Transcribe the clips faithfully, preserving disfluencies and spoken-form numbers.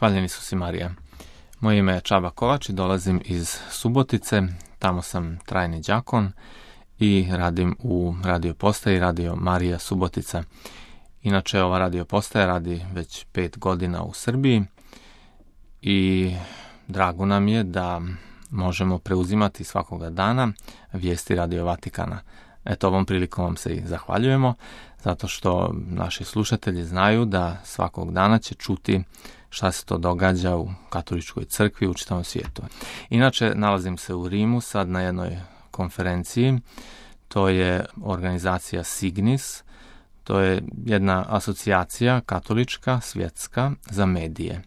Hvaljeni su si Marija. Moje ime je Čaba Kovač i dolazim iz Subotice. Tamo sam trajni đakon i radim u radio postaji Radio Marija Subotica. Inače, ova radio postaja radi već pet godina u Srbiji i drago nam je da možemo preuzimati svakoga dana vijesti Radio Vatikana. Eto, ovom prilikom vam se i zahvaljujemo, zato što naši slušatelji znaju da svakog dana će čuti šta se to događa u katoličkoj crkvi u čitavom svijetu. Inače, nalazim se u Rimu sad na jednoj konferenciji, to je organizacija Signis, to je jedna asocijacija katolička, svjetska, za medije.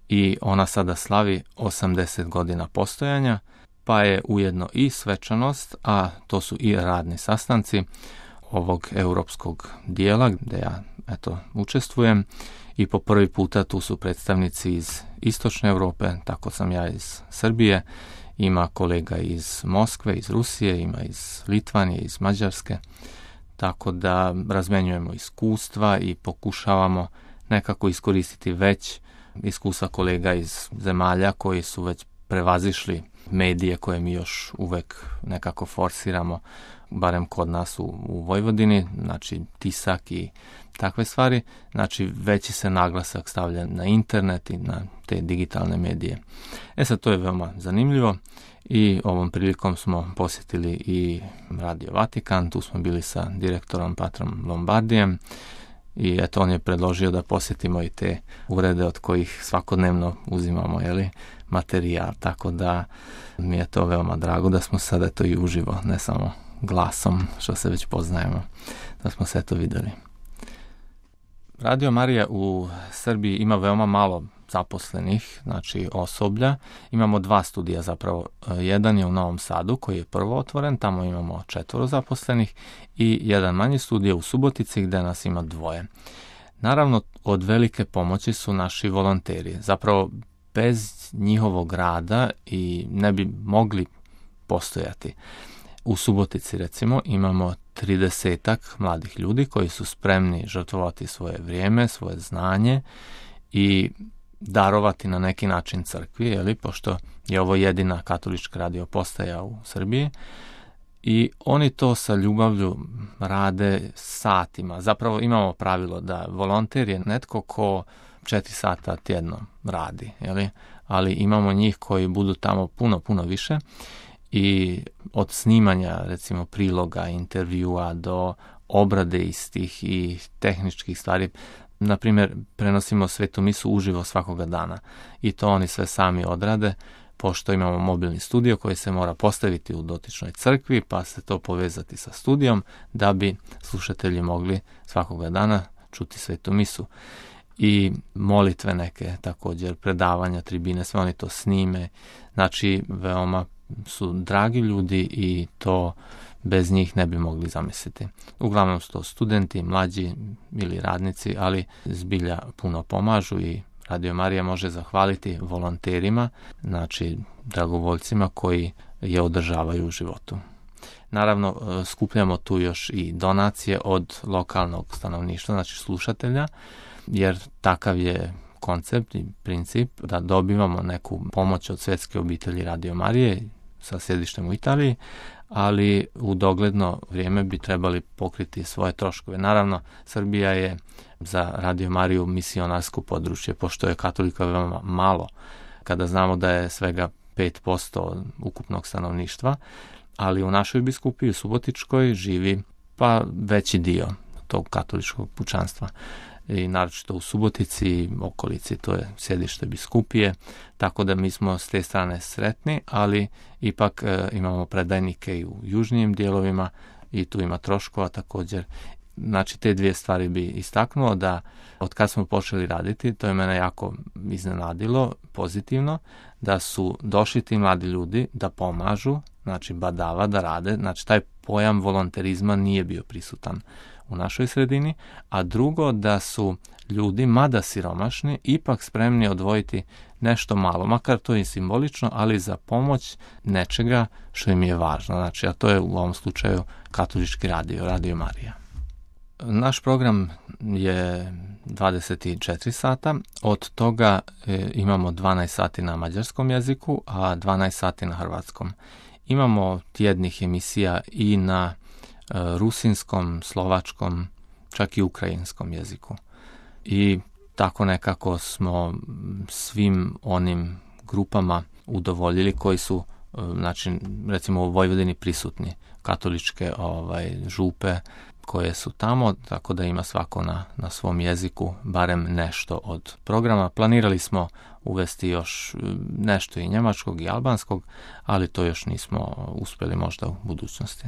I ona sada slavi osamdeset godina postojanja, pa je ujedno i svečanost, a to su i radni sastanci ovog europskog dijela gdje ja eto, učestvujem. I po prvi puta tu su predstavnici iz istočne Europe, tako sam ja iz Srbije, ima kolega iz Moskve, iz Rusije, ima iz Litvanije, iz Mađarske, tako da razmenjujemo iskustva i pokušavamo nekako iskoristiti već iskustva kolega iz zemalja koji su već prevazišli medije koje mi još uvek nekako forsiramo, barem kod nas u, u Vojvodini, znači tisak i takve stvari, znači veći se naglasak stavlja na internet i na te digitalne medije. E sad, to je veoma zanimljivo i ovom prilikom smo posjetili i Radio Vatikan, tu smo bili sa direktorom Patrom Lombardijem i eto, on je predložio da posjetimo i te urede od kojih svakodnevno uzimamo, jeli, materijal, tako da mi je to veoma drago da smo sada to i uživo, ne samo glasom, što se već poznajemo, da smo sve to vidjeli. Radio Marija u Srbiji ima veoma malo zaposlenih, znači osoblja. Imamo dva studija zapravo. Jedan je u Novom Sadu koji je prvo otvoren, tamo imamo četvoro zaposlenih i jedan manji studij u Subotici gdje nas ima dvoje. Naravno, od velike pomoći su naši volonteri. Zapravo, bez njihovog rada i ne bi mogli postojati. U Subotici, recimo, imamo tridesetak mladih ljudi koji su spremni žrtvovati svoje vrijeme, svoje znanje i darovati na neki način crkvi, jeli, pošto je ovo jedina katolička radio postaja u Srbiji. I oni to sa ljubavlju rade satima. Zapravo imamo pravilo da volonter je netko ko četiri sata tjedno radi, jeli? Ali imamo njih koji budu tamo puno, puno više. I od snimanja, recimo, priloga, intervjua do obrade istih i tehničkih stvari. Na primjer, prenosimo svetu misu uživo svakoga dana i to oni sve sami odrade, pošto imamo mobilni studio koji se mora postaviti u dotičnoj crkvi, pa se to povezati sa studijom da bi slušatelji mogli svakoga dana čuti svetu misu. I molitve neke, također predavanja, tribine, sve oni to snime. Znači, veoma su dragi ljudi i to bez njih ne bi mogli zamisliti. Uglavnom su to studenti, mlađi ili radnici, ali zbilja puno pomažu i Radio Marija može zahvaliti volonterima, znači dragovoljcima koji je održavaju u životu. Naravno, skupljamo tu još i donacije od lokalnog stanovništva, znači slušatelja, jer takav je koncept i princip da dobivamo neku pomoć od svjetske obitelji Radio Marije sa sjedištem u Italiji, ali u dogledno vrijeme bi trebali pokriti svoje troškove. Naravno, Srbija je za Radio Mariju misionarsko područje, pošto je katolika veoma malo, kada znamo da je svega pet posto ukupnog stanovništva, ali u našoj biskupiji, u Subotičkoj, živi pa veći dio tog katoličkog pučanstva. I naročito u Subotici i okolici, to je sjedište biskupije, tako da mi smo s te strane sretni, ali ipak e, imamo predajnike i u južnijim dijelovima i tu ima troškova također. Znači, te dvije stvari bi istaknuo da od kad smo počeli raditi, to je mene jako iznenadilo, pozitivno, da su došli ti mladi ljudi da pomažu, znači badava, da rade, znači taj pojam volonterizma nije bio prisutan u našoj sredini, a drugo da su ljudi, mada siromašni, ipak spremni odvojiti nešto malo, makar to je simbolično, ali za pomoć nečega što im je važno, znači, a to je u ovom slučaju katolički radio, Radio Marija. Naš program je dvadeset četiri sata, od toga e, imamo dvanaest sati na mađarskom jeziku, a dvanaest sati na hrvatskom. Imamo tjednih emisija i na e, rusinskom, slovačkom, čak i ukrajinskom jeziku. I tako nekako smo svim onim grupama udovoljili koji su, znači, recimo u Vojvodini prisutni, katoličke ovaj, župe koje su tamo, tako da ima svako na, na svom jeziku barem nešto od programa. Planirali smo uvesti još nešto i njemačkog i albanskog, ali to još nismo uspjeli možda u budućnosti.